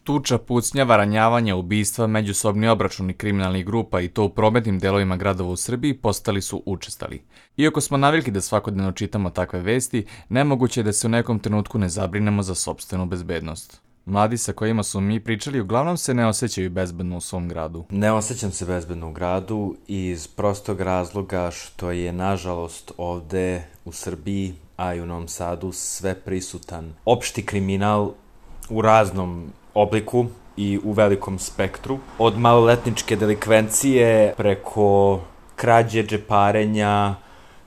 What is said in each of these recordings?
Tuča, pucnjava, ranjavanja, ubistva, međusobni obračuni kriminalnih grupa i to u prometnim delovima gradova u Srbiji postali su učestali. Iako smo navikli da svakodnevno čitamo takve vesti, nemoguće je da se u nekom trenutku ne zabrinemo za sopstvenu bezbednost. Mladi sa kojima smo mi pričali uglavnom se ne osjećaju bezbedno u svom gradu. Ne osjećam se bezbedno u gradu iz prostog razloga što je, nažalost, ovde u Srbiji, a i u Novom Sadu, sve prisutan opšti kriminal u raznom obliku i u velikom spektru. Od maloletničke delikvencije preko krađe, džeparenja,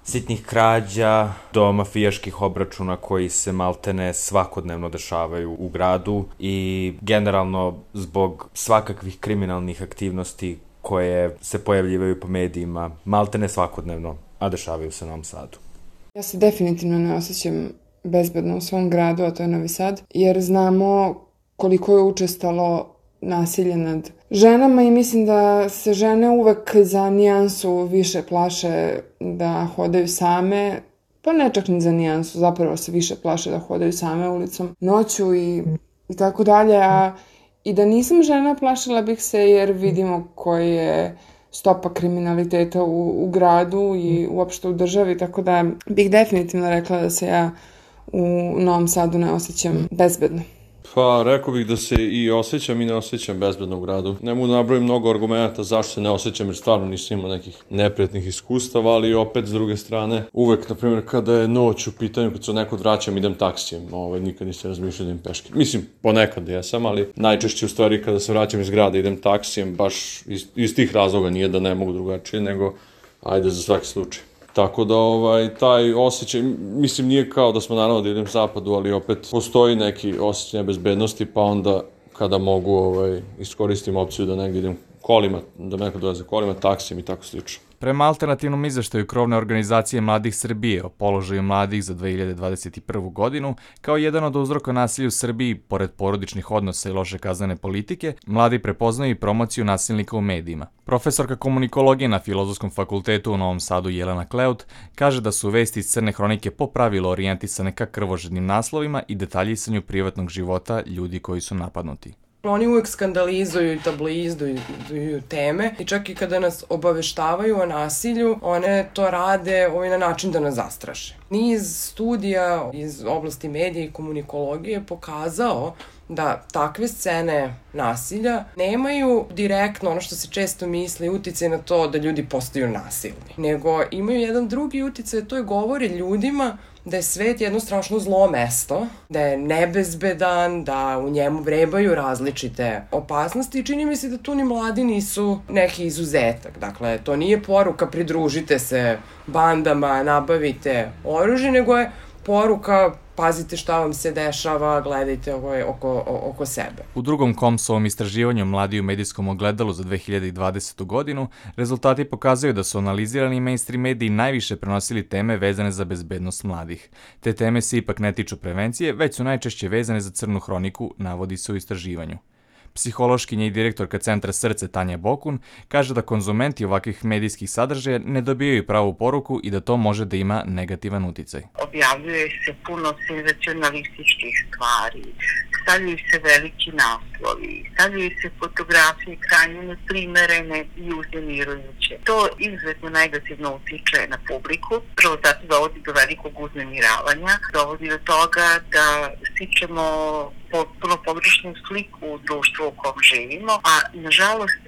sitnih krađa do mafijaških obračuna koji se maltene svakodnevno dešavaju u gradu i generalno zbog svakakvih kriminalnih aktivnosti koje se pojavljivaju po medijima maltene svakodnevno, a dešavaju se u Novom Sadu. Ja se definitivno ne osjećam bezbedno u svom gradu, a to je Novi Sad, jer znamo koliko je učestalo nasilje nad ženama i mislim da se žene uvek za nijansu više plaše da hodaju same, pa ne čak ni za nijansu, zapravo se više plaše da hodaju same ulicom noću i tako dalje, a i da nisam žena plašila bih se jer vidimo koji je stopa kriminaliteta u gradu i uopšte u državi, tako da bih definitivno rekla da se ja u Novom Sadu ne osjećam bezbedno. Pa, rekao bih da se i osjećam i ne osjećam bezbedno u gradu. Ne mogu da nabrojim mnogo argumenta zašto se ne osjećam, jer stvarno nisam imao nekih neprijatnih iskustava, ali opet, s druge strane, uvek, na primjer, kada je noć u pitanju, kad se od nekog vraćam, idem taksijem. Nikad nisam razmišljao da idem peške. Mislim, ponekad jesam, ali najčešće u stvari kada se vraćam iz grada idem taksijem, baš iz tih razloga, nije da ne mogu drugačije, nego ajde za svaki slučaj. Tako da taj osjećaj, mislim, nije kao da smo naravno da idem zapadu, ali opet postoji neki osjećaj nebezbednosti, pa onda kada mogu iskoristim opciju da negdje idem kolima, da neko dolaze kolima, taksijem i tako slično. Prema alternativnom izveštaju krovne organizacije Mladih Srbije o položaju mladih za 2021. godinu, kao jedan od uzroka nasilja u Srbiji, pored porodičnih odnosa i loše kaznene politike, mladi prepoznaju i promociju nasilnika u medijima. Profesorka komunikologije na Filozofskom fakultetu u Novom Sadu Jelena Kleut kaže da su vesti iz Crne hronike po pravilu orijentisane ka krvožednim naslovima i detaljisanju privatnog života ljudi koji su napadnuti. Oni uvek skandalizuju i tabloizuju teme i čak i kada nas obaveštavaju o nasilju, one to rade na način da nas zastraše. Niz studija iz oblasti medija i komunikologije pokazao da takve scene nasilja nemaju direktno, ono što se često misli, uticaj na to da ljudi postaju nasilni, nego imaju jedan drugi uticaj, to je govore ljudima da je svet jedno strašno zlo mesto, da je nebezbedan, da u njemu vrebaju različite opasnosti i čini mi se da tu ni mladi nisu neki izuzetak. Dakle, to nije poruka pridružite se bandama, nabavite oružje, nego je poruka pazite šta vam se dešava, gledajte oko sebe. U drugom KOMS-ovom istraživanju Mladi u medijskom ogledalu za 2020. godinu, rezultati pokazuju da su analizirani mainstream mediji najviše prenosili teme vezane za bezbednost mladih. Te teme se ipak ne tiču prevencije, već su najčešće vezane za crnu hroniku, navodi se u istraživanju. Psihološkinja i direktorka Centra Srce Tanja Bokun kaže da konzumenti ovakvih medijskih sadržaja ne dobijaju pravu poruku i da to može da ima negativan uticaj. Objavljuje se puno senzacionalističkih stvari, stavljaju se veliki naslovi, stavljaju se fotografije krajnje neprimerene i uznemirujuće. To izuzetno negativno utiče na publiku, prvo zato dovodi do velikog uznemiravanja, dovodi do toga da stičemo potpuno pogrešnu sliku u društvu u kom živimo, a nažalost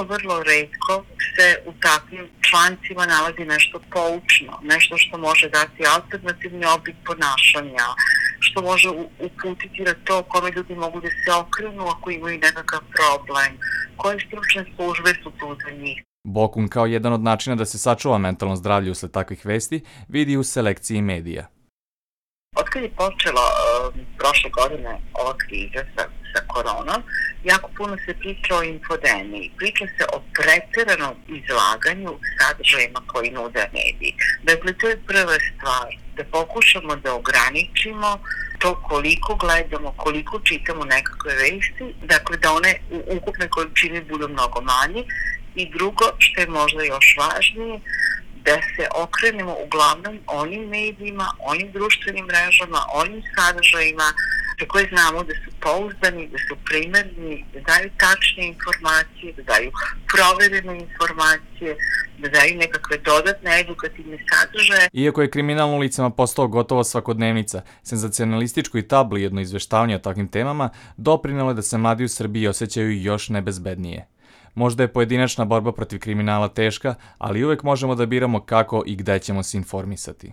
vrlo retko se u takvim člancima nalazi nešto poučno, nešto što može dati alternativni oblik ponašanja, što može uputiti na to kome ljudi mogu da se okrenu ako imaju nekakav problem, koje stručne službe su tu za njih. Bokun kao jedan od načina da se sačuva mentalno zdravlje usled takvih vesti vidi u selekciji medija. Otkad je počela prošle godine ova kriza sa koronom, jako puno se priča o infodemiji, priča se o pretjeranom izlaganju sadržajima koji nude mediji. Dakle, to je prva stvar, da pokušamo da ograničimo to koliko gledamo, koliko čitamo nekakve vesti, dakle da one u ukupnoj količini budu mnogo manje. I drugo, što je možda još važnije, da se okrenemo uglavnom onim medijima, onim društvenim mrežama, onim sadržajima, za koje znamo da su pouzdani, da su primerni, da daju tačne informacije, da daju proverene informacije, da daju nekakve dodatne edukativne sadržaje. Iako je kriminal na ulicama postao gotovo svakodnevnica, senzacionalističko i tabloidno izveštavanje o takvim temama doprinelo je da se mladi u Srbiji osjećaju još nebezbednije. Možda je pojedinačna borba protiv kriminala teška, ali uvek možemo da biramo kako i gde ćemo se informisati.